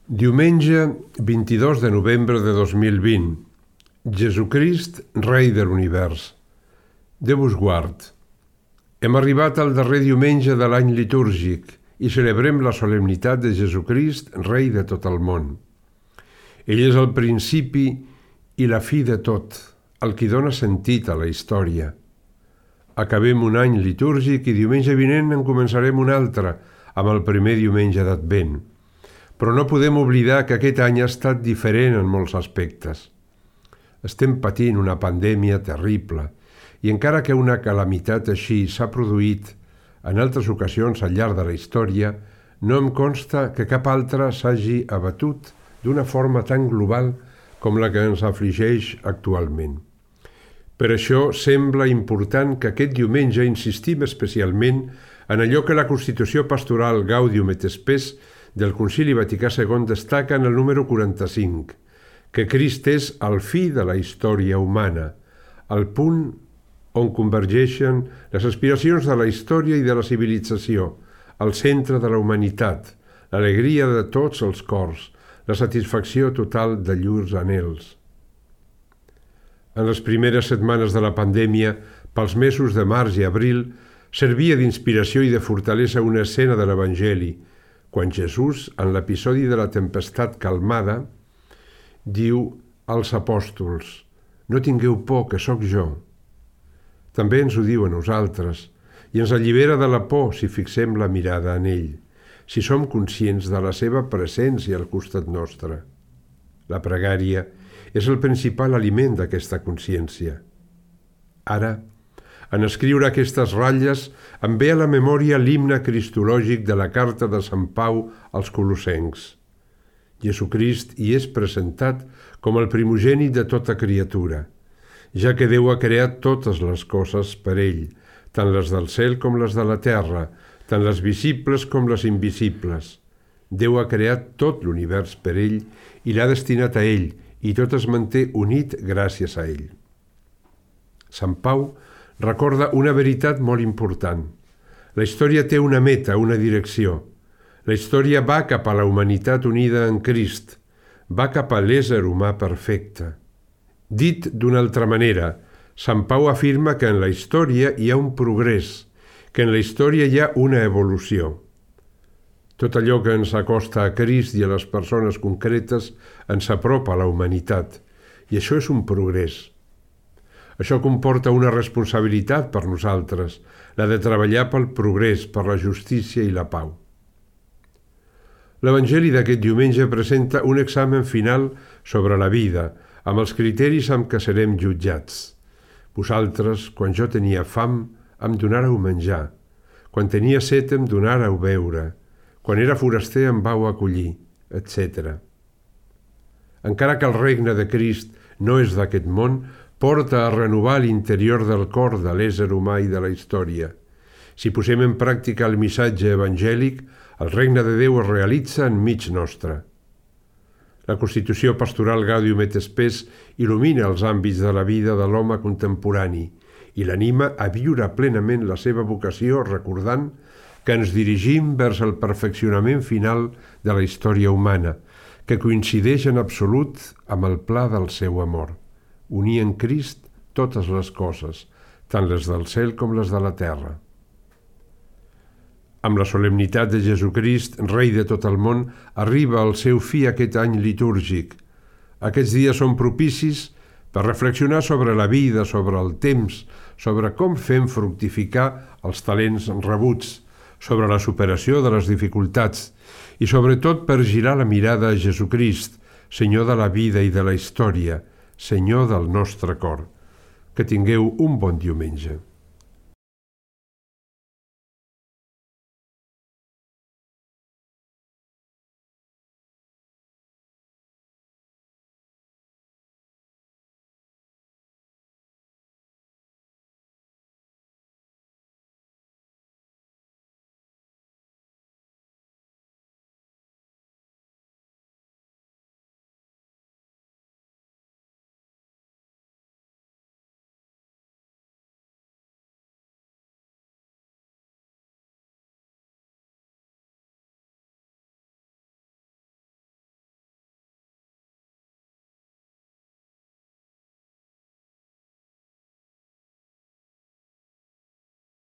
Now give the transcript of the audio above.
Diumenge 22 de novembre de 2020. Jesucrist, Rei de l'Univers. Déu us guard. Hem arribat al darrer diumenge de l'any litúrgic i celebrem la solemnitat de Jesucrist, Rei de tot el món. Ell és el principi i la fi de tot, el qui dona sentit a la història. Acabem un any litúrgic i diumenge vinent en començarem un altre, amb el primer diumenge d'Advent. Però no podem oblidar que aquest any ha estat diferent en molts aspectes. Estem patint una pandèmia terrible i encara que una calamitat així s'ha produït en altres ocasions al llarg de la història, no em consta que cap altra s'hagi abatut d'una forma tan global com la que ens afligeix actualment. Per això sembla important que aquest diumenge insistim especialment en allò que la Constitució Pastoral Gaudium et Spes del Concili Vaticà II destaca en el número 45, que Crist és el fi de la història humana, el punt on convergeixen les aspiracions de la història i de la civilització, el centre de la humanitat, l'alegria de tots els cors, la satisfacció total de llurs anhels. En les primeres setmanes de la pandèmia, pels mesos de març i abril, servia d'inspiració i de fortalesa una escena de l'Evangeli, quan Jesús, en l'episodi de la tempestat calmada, diu als apòstols: «No tingueu por, que sóc jo». També ens ho diu a nosaltres i ens allibera de la por si fixem la mirada en ell, si som conscients de la seva presència al costat nostre. La pregària és el principal aliment d'aquesta consciència. Ara, en escriure aquestes ratlles, em ve a la memòria l'himne cristològic de la carta de Sant Pau als Colossencs. Jesucrist hi és presentat com el primogènit de tota criatura, ja que Déu ha creat totes les coses per ell, tant les del cel com les de la terra, tant les visibles com les invisibles. Déu ha creat tot l'univers per ell i l'ha destinat a ell, i tot es manté unit gràcies a ell. Sant Pau recorda una veritat molt important. La història té una meta, una direcció. La història va cap a la humanitat unida en Crist, va cap a l'ésser humà perfecte. Dit d'una altra manera, Sant Pau afirma que en la història hi ha un progrés, que en la història hi ha una evolució. Tot allò que ens acosta a Crist i a les persones concretes ens apropa a la humanitat, i això és un progrés. Això comporta una responsabilitat per nosaltres, la de treballar pel progrés, per la justícia i la pau. L'Evangeli d'aquest diumenge presenta un examen final sobre la vida, amb els criteris amb què serem jutjats. Vosaltres, quan jo tenia fam, em donàreu menjar. Quan tenia set, em donàreu beure. Quan era foraster, em vau acollir, etc. Encara que el regne de Crist no és d'aquest món, porta a renovar l'interior del cor de l'ésser humà i de la història. Si posem en pràctica el missatge evangèlic, el regne de Déu es realitza enmig nostre. La Constitució Pastoral Gaudium et Spes il·lumina els àmbits de la vida de l'home contemporani i l'anima a viure plenament la seva vocació recordant que ens dirigim vers el perfeccionament final de la història humana, que coincideix en absolut amb el pla del seu amor. Unir en Crist totes les coses, tant les del cel com les de la terra. Amb la solemnitat de Jesucrist, Rei de tot el món, arriba al seu fi aquest any litúrgic. Aquests dies són propicis per reflexionar sobre la vida, sobre el temps, sobre com fem fructificar els talents rebuts, sobre la superació de les dificultats i sobretot per girar la mirada a Jesucrist, Senyor de la vida i de la història, Senyor del nostre cor. Que tingueu un bon diumenge.